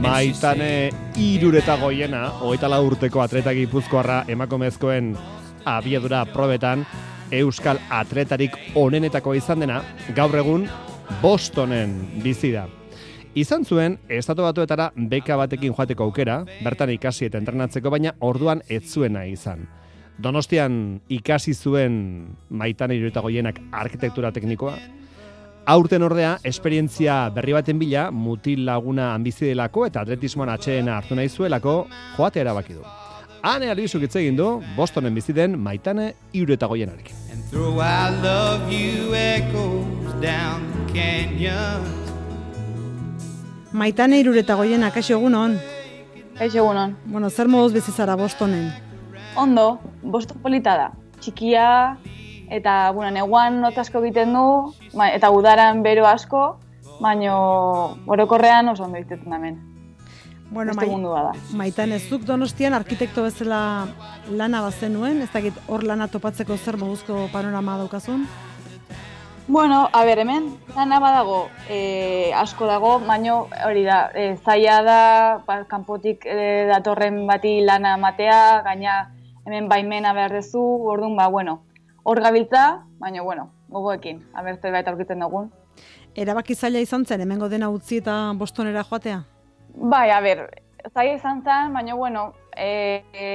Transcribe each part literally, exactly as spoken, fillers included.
Maitane Irureta Goiena, hogeita lau urteko atleta gipuzkoarra emakumezkoen abiadura probetan euskal atletarik onenetako izan dena, gaur egun Bostonen bizi da. Izan zuen, Estatu Batuetara beka batekin joateko aukera, bertan ikasi eta entrenatzeko, baina orduan ez zuena izan. Donostian ikasi zuen Maitane Irureta Goienak arkitektura teknikoa. Aurten ordea, esperientzia berri baten bila, mutil laguna hanbizidelako eta atletismoan atxeena hartu nahi zuelako, joatea erabaki du. Hane Albizuk hitz egin du, Bostonen bizi den Maitane Irureta Goienarekin. Maitane Irureta Goienak, kaixo egunon? Kaixo egunon. Bueno, zer moduz bizi zara Bostonen? Ondo, Boston polita da. Txikia, eta, bueno, neguan not asko egiten du, eta udaran bero asko, baino orokorrean oso ondo egiten hemen. Bueno, Beste mundua da. Maitane, zuk Donostian arkitekto bezala lana bazenuen, ez dakit hor lana topatzeko zer moduzko panorama daukazun? Bueno, a ber, hemen lana badago, e, asko dago, baino hori da, e, zaila da, ba, kanpotik e, datorren bati lana matea, gaina hemen baimena behar dezu, orduan, ba, bueno, hor gabiltza, baina, bueno, gogoekin, aber zerbait aurkitzen dugun. Erabaki zaila izan zen, hemengo dena utzi eta Bostonera joatea? Bai, a ber, zaila izan zen, baina, bueno, e, e,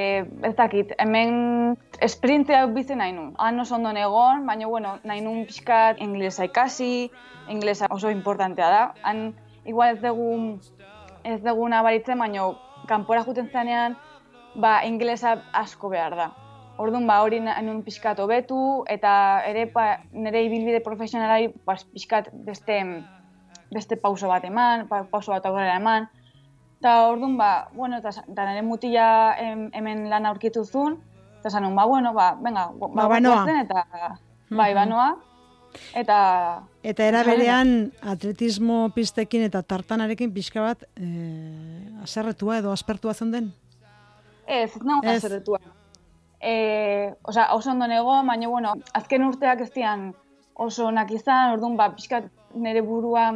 ez dakit, hemen esprintzea bizi nahi nun. Han oso ondo egon, baina, bueno, nahi nun pixkat inglesa ikasi, inglesa oso importantea da. Han, igual ez dugu, ez dugu nabaritzen, baina, kanpora juten zanean, ba, inglesa asko behar da. Orduan, ba, hori nun pixkat hobetu, eta ere, ba, nire ibilbide profesionalari ba, pixkat beste, beste pauso bat eman, pauso bat aurrera eman. Eta orduan, ba, bueno, eta nire mutila hemen lan aurkitu zuen, eta zanun, ba, bueno, ba, venga, ba, ba, banoa. Eta, bai, banoa, eta... Eta era berean atletismo pistekin eta tartanarekin pixka bat eh, aserretua edo aspertua zen den? Ez, ez nago aserretua. E, Osa, oso ondo nego, baina, bueno, azken urteak ez dian oso onak izan, orduan, ba, pixkat nire burua,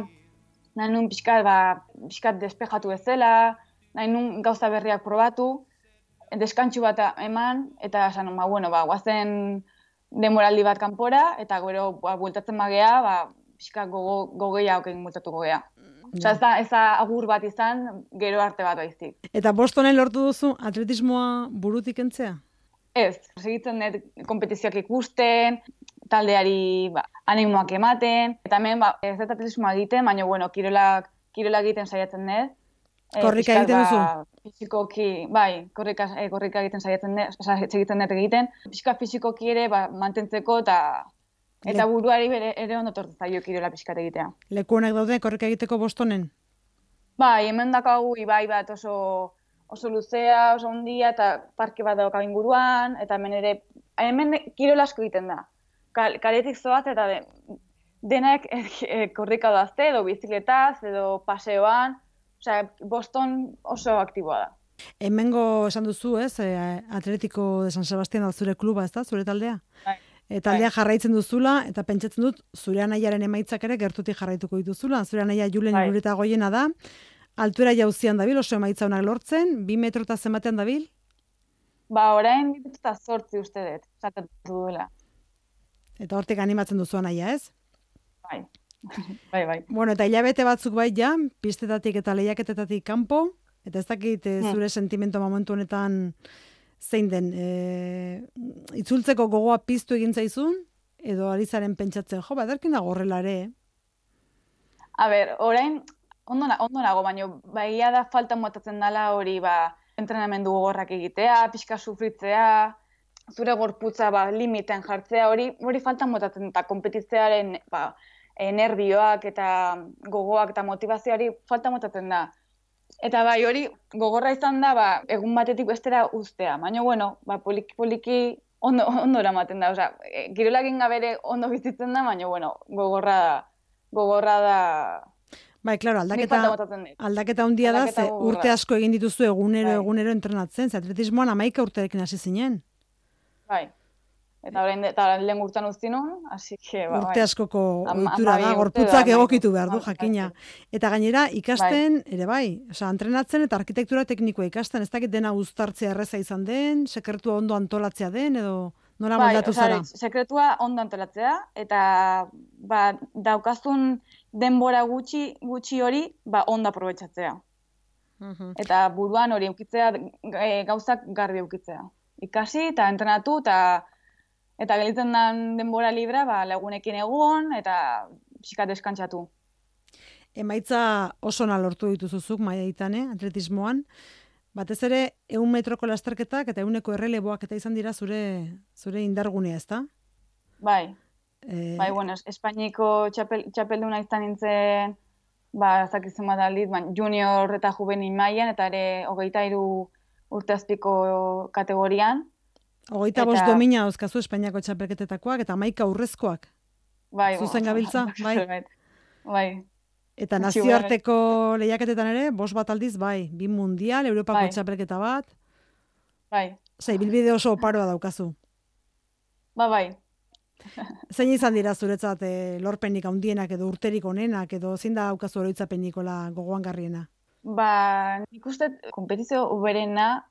nahi nun pixkat, ba, pixkat despejatu ezela, nahi nun gauza berriak probatu, deskantxu bat eman, eta esan, ba, bueno, ba, guazen demoraldi bat kanpora, eta gero, ba, bueltatzen magea, ba, pixkat gogo, gogeia okein bueltatuko gea. Osa, ez da, ez da agur bat izan, gero arte bat baizik. Eta Bostonen lortu duzu atletismoa burutik entzea? Ez, segitzen dut kompetizioak ikusten, taldeari ba, animoak ematen, eta hemen ba, ez dut atletismoa egiten, baina bueno, kirolak, kirolak egiten saiatzen dut. Korrika egiten duzu? Ba, fisikoki, bai, korrika, eh, korrika egiten saiatzen dut, oza, segitzen dut egiten. Pixka fisikoki ere ba, mantentzeko eta eta buruari bere, ere ondo tortu zaio kirola pixkat egitea. Leku honak daude korrika egiteko Bostonen? Bai, hemen dakagu ibai bat oso... oso luzea, oso handia, eta parke bat dauka inguruan, eta hemen ere, hemen kirol asko egiten da. Kal, kaletik zoaz, eta de, denak e, e, korrika dazte, edo bizikletaz, edo paseoan, osea, Boston oso aktiboa da. Hemengo esan duzu, ez, e, Atletico de San Sebastián da zure kluba, ez da, zure taldea? Bai. E, taldea jarraitzen duzula, eta pentsatzen dut, zure anaiaren emaitzak ere gertutik jarraituko dituzula, zure anaia Julen bai. Irureta Goiena da, altuera jauzian dabil, oso emaitza honak lortzen, bi metro eta zenbatean dabil? Ba, orain bi metro eta zortzi uste dut, zatatu duela. Eta hortik animatzen duzu anaia, ez? Bai, bai, bai. Bueno, eta hilabete batzuk bai ja, pistetatik eta lehiaketetatik kanpo, eta ez dakit e, zure hmm. sentimento momentu honetan zein den, e, itzultzeko gogoa piztu egin zaizun, edo ari zaren pentsatzen, jo, baderkin dago horrela ere, eh? A ber, orain, Ondo, ondo nago, baina baia da falta motatzen dela hori ba, entrenamendu gogorrak egitea, pixka sufritzea, zure gorputza ba, limiten jartzea, hori hori falta motatzen eta kompetitzearen ba, nervioak eta gogoak eta motivazioari falta motatzen da. Eta bai hori gogorra izan da ba, egun batetik bestera uztea, baina bueno, ba, poliki poliki ondo, ondo eramaten da. Osea, kirolak ingabere ondo bizitzen da, baina bueno, gogorra da. Gogorra da. Bai, claro, aldaketa, aldaketa handia da, ze urte asko egin dituzu egunero, bai. egunero entrenatzen, ze atletismoan hamaika urterekin hasi zinen. Bai. Eta orain eta lehen urtean uzti nun, así que ba, urte bai. askoko Ama- ohitura hamabi da, urte gorputzak da, egokitu bai. behar du, Bai. jakina. Eta gainera, ikasten, ere bai, osea, entrenatzen eta arkitektura teknikoa ikasten, ez dakit dena uztartzea erreza izan den, sekretua ondo antolatzea den, edo nola Bai, moldatu osea, zara? sekretua ondo antolatzea, eta ba, daukazun denbora gutxi gutxi hori ba, ondo aprobetxatzea. Mhm. Eta buruan hori eukitzea, e, gauzak garbi eukitzea. Ikasi eta entrenatu eta eta gelitzen den denbora libra ba, lagunekin egon eta pixkat deskantzatu. Emaitza oso ona lortu dituzuzuk maitan, eh, atletismoan. Batez ere, ehun metroko lasterketak eta ehuneko erreleboak eta izan dira zure zure indargunea, ezta? Bai, Eh, bai, bueno, es- Espainiko txapel, txapelduna izan nintzen, ba, ez dakit zenbat aldiz, ba, junior eta juvenil mailan eta ere hogeita hiru urte azpiko kategorian. Hogeita Eta- bost domina dauzkazu Espainiako txapelketetakoak eta hamaika urrezkoak. Bai, Zuzen bueno, gabiltza, bai. zerbait. Bai, Eta Gutxi nazioarteko lehiaketetan ere, bost bat aldiz, bai. Bi mundial, Europako Bai. txapelketa bat. bai, Zei, bilbide oso oparoa daukazu. ba, bai. Zein izan dira zuretzat eh, lorpenik handienak edo urterik onenak edo zein da daukazu oroitzapenikola gogoan garriena? Ba, nik uste kompetizio uberena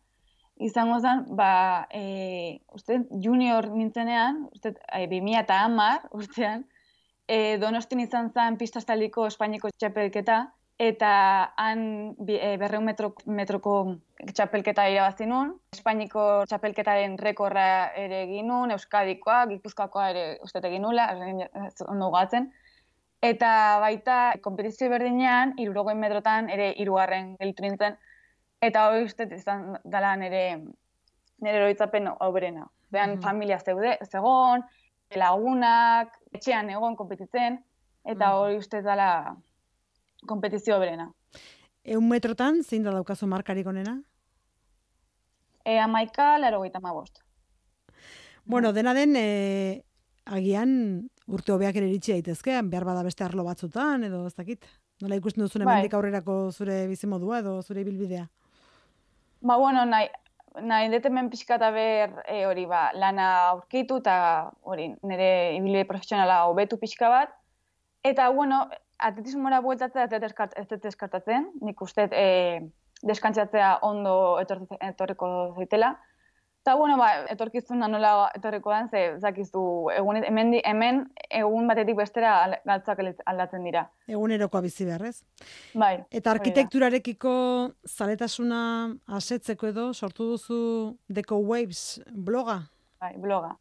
izango zen, ba, e, uste junior nintzenean, uste e, bi mila hamar urtean, e, Donostin izan zen pistaztaliko Espainiko txapelketa, eta han bi, e, berreun metro, metroko txapelketa irabazi nun, Espainiko txapelketaren rekorra ere egin nun, Euskadikoa, Gipuzkoakoa ere uste egin nula, ez ondo gatzen. Eta baita, kompetizio berdinean, hirurogei metrotan ere hirugarren gelditu nintzen, eta hori uste izan dela nire, nire oroitzapen hoberena. Behan Mhm. familia zeude, zegon, lagunak, etxean egon konpetitzen, eta Mhm. hori uste dela kompetizio hoberena. Eun metrotan, zein da daukazu markarik onena? E, amaika, laro gaita bost. Bueno, dena den, e, agian urte hobeak ere iritsi daitezke, behar bada beste arlo batzutan, edo ez dakit. Nola ikusten duzun Bai. hemendik aurrerako zure bizimodua edo zure ibilbidea? Ba, bueno, nahi, nahi dut hemen pixka eta ber e, hori ba, lana aurkitu eta hori nire ibilbide profesionala hobetu pixka bat. Eta, bueno, atletismora bueltatzea ez dut eskart- ez dut eskartatzen. Nik uste e, deskantzatzea ondo etor, etorriko zaitela. Eta, bueno, ba, etorkizuna nola etorriko den, ze zakizu, egun, hemen, di- hemen egun batetik bestera al- galtzak aldatzen dira. Egunerokoa bizi beharrez. Bai, Eta hori da. arkitekturarekiko zaletasuna asetzeko edo sortu duzu Deco Waves bloga? Bai, bloga.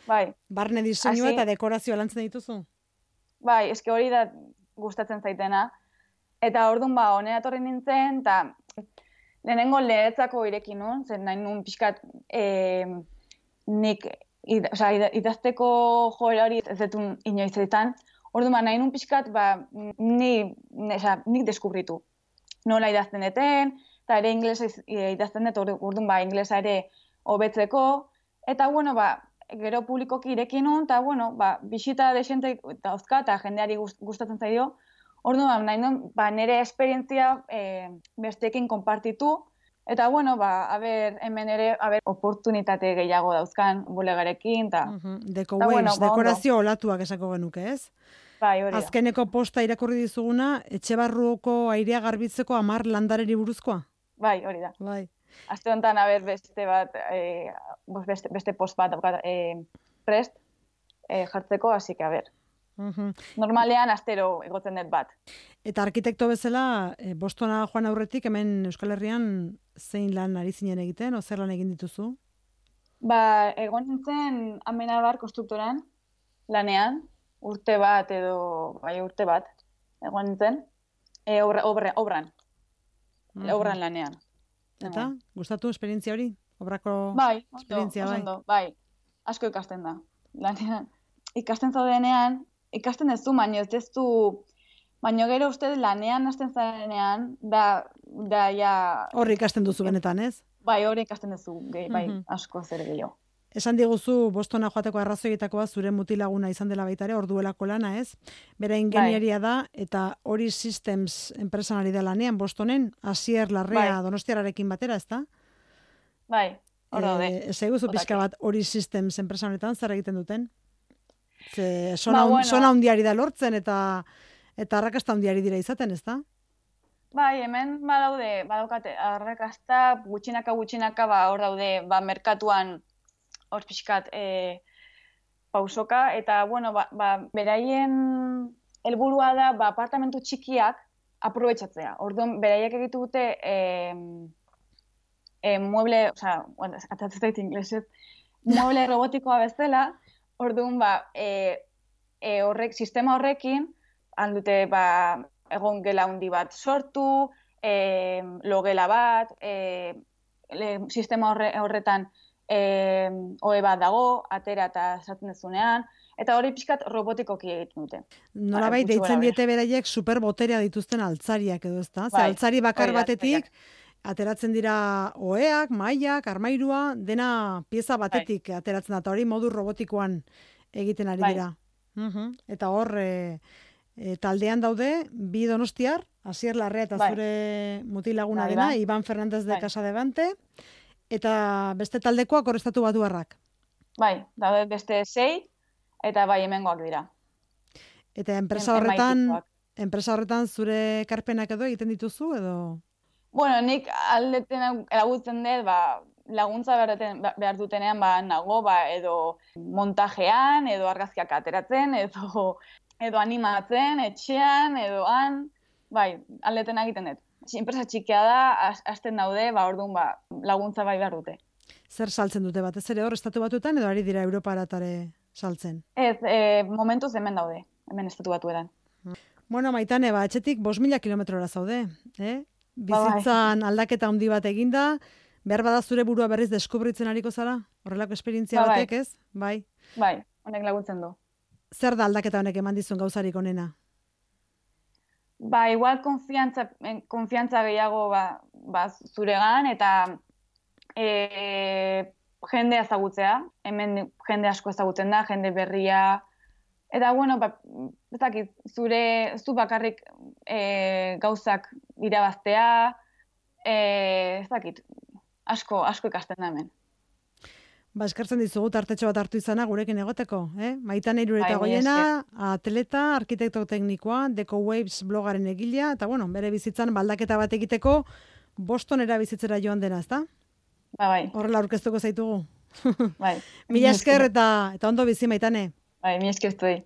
Bai. Barne diseinua Hasi- eta dekorazioa lantzen dituzu? Bai, eske hori da gustatzen zaitena. Eta orduan ba, honera etorri nintzen, eta lehenengo lehetzako ireki nun, zen nahi nun pixkat e, nik id, oza, id, idazteko joera hori ez dut inoiz izan. Orduan ba, nahi nun pixkat ba, ni, ne, oza, nik deskubritu. Nola idazten deten, eta ere inglesa iz- idazten dut, ordu- orduan ba, inglesa ere hobetzeko. Eta bueno, ba, gero publikoki ireki nun, eta bueno, ba, bisita desente dauzka, eta jendeari gust- gustatzen zaio. Orduan, nahi nun, ba, nire esperientzia e, besteekin konpartitu, eta bueno, ba, a ber, hemen ere, a ber, oportunitate gehiago dauzkan bulegarekin, eta, Mhm. Deco Ta Waves, bueno, ba, dekorazio olatuak esako genuke, ez? bai, hori da. Azkeneko posta irakurri dizuguna, etxe barruko airea garbitzeko hamar landareri buruzkoa? Bai, hori da. Bai. Aste honetan, a ber, beste bat, e, beste, beste post bat daukat e, prest e, jartzeko, hasi que, a ber. Mhm. Normalean, astero egotzen dut bat. Eta arkitekto bezala, e, Bostona joan aurretik, hemen Euskal Herrian zein lan ari zinen egiten, o zer lan egin dituzu? Ba, egon nintzen Amenabar konstruktoran, lanean, urte bat edo, bai urte bat, egon nintzen, e, obra, obra, obran, Mhm. obran lanean. Eta, gustatu esperientzia hori? Obrako Bai, ondo, esperientzia, oso bai. ondo, bai, asko ikasten da. Lanean, ikasten zaudenean, ikasten duzu, baino ez duzu, baino gero uste lanean hasten zarenean, da, da ja, Horri ikasten duzu benetan, ez? bai, hori ikasten duzu, gehi, bai, Mhm. asko zer gehiago. Esan diguzu Bostona joateko arrazoietakoa zure mutilaguna izan dela baita ere, orduelako lana, ez? Bera ingenieria da, eta hori Systems enpresan ari da lanean, Bostonen, Asier Larrea Bai. Donostiararekin batera, ezta? Bai, hor daude. E, ez eguzu pixka bat hori systems enpresa honetan zer egiten duten? Ze sona, Ba, bueno. sona hundiari da lortzen eta eta arrakasta hundiari dira izaten, ez da? Bai, hemen badaude, badaukate arrakasta, gutxinaka gutxinaka ba hor daude, ba merkatuan hor pixkat e, pausoka eta bueno, ba, ba beraien helburua da ba apartamentu txikiak aprobetxatzea. Orduan beraiek egitu dute eh eh mueble, o sea, bueno, atatzet ingleset, mueble robotikoa bezala. Orduan ba eh e, horrek sistema horrekin handute ba egon gela handi bat sortu, eh logela bat, eh le, sistema horre, horretan eh ohe bat dago, atera eta sartzen dezunean, eta hori pixkat robotikoki egiten dute. Nolabait deitzen diete beraiek superboterea dituzten altzariak edo, ezta? Ze Bai, altzari bakar hori da, batetik ateratzen dira oheak, mailak, armairua, dena pieza batetik ateratzen da, eta hori modu robotikoan egiten ari Bai. dira. Mhm. Eta hor e, e, taldean daude bi donostiar, Asier Larrea eta Bai. zure mutilaguna Bai, dena, bai. Iban Fernandez de Bai. Casadevante, eta beste taldekoak hor estatu batuarrak. Bai, daude beste sei, eta bai hemengoak dira. Eta enpresa Em- horretan, emaitikoak. enpresa horretan zure ekarpenak edo egiten dituzu edo? Bueno, nik aldeten laguntzen dut, ba, laguntza behar, duten, behar dutenean ba, nago, ba, edo montajean, edo argazkiak ateratzen, edo, edo animatzen, etxean, edo han, bai, aldeten egiten dut. Enpresa txikia da, has- hasten daude, ba, orduan ba, laguntza bai behar dute. Zer saltzen dute batez ere hor estatu batuetan edo ari dira Europaratare saltzen? Ez, e, momentuz hemen daude, hemen estatu batuetan. Bueno, Maitane, ba, etxetik bost mila kilometrora zaude, eh? Ba, bai. Bizitzan aldaketa handi bat eginda, behar bada zure burua berriz deskubritzen ariko zara? Horrelako esperientzia Ba, bai. batek, ez? Bai. Bai, honek laguntzen du. Zer da aldaketa honek eman dizun gauzarik onena? Ba, igual konfiantza, en- konfiantza gehiago ba, ba, zuregan, eta e, jende ezagutzea, hemen jende asko ezagutzen da, jende berria, eta bueno, ba, ez dakit, zure, zu bakarrik e, gauzak irabaztea, e, ez dakit, asko, asko ikasten da hemen. Ba, eskertzen dizugu tartetxo bat hartu izana gurekin egoteko, eh? Maitane Irureta Bai, mila Goiena, atleta, arkitekto teknikoa, Deco Waves blogaren egilea, eta bueno, bere bizitzan baldaketa bat egiteko Bostonera bizitzera joan dena, ezta? Ba, bai, Horrela aurkeztuko zaitugu. bai. Mila esker eta, eta ondo bizi, Maitane. Bai, mi esker zuei.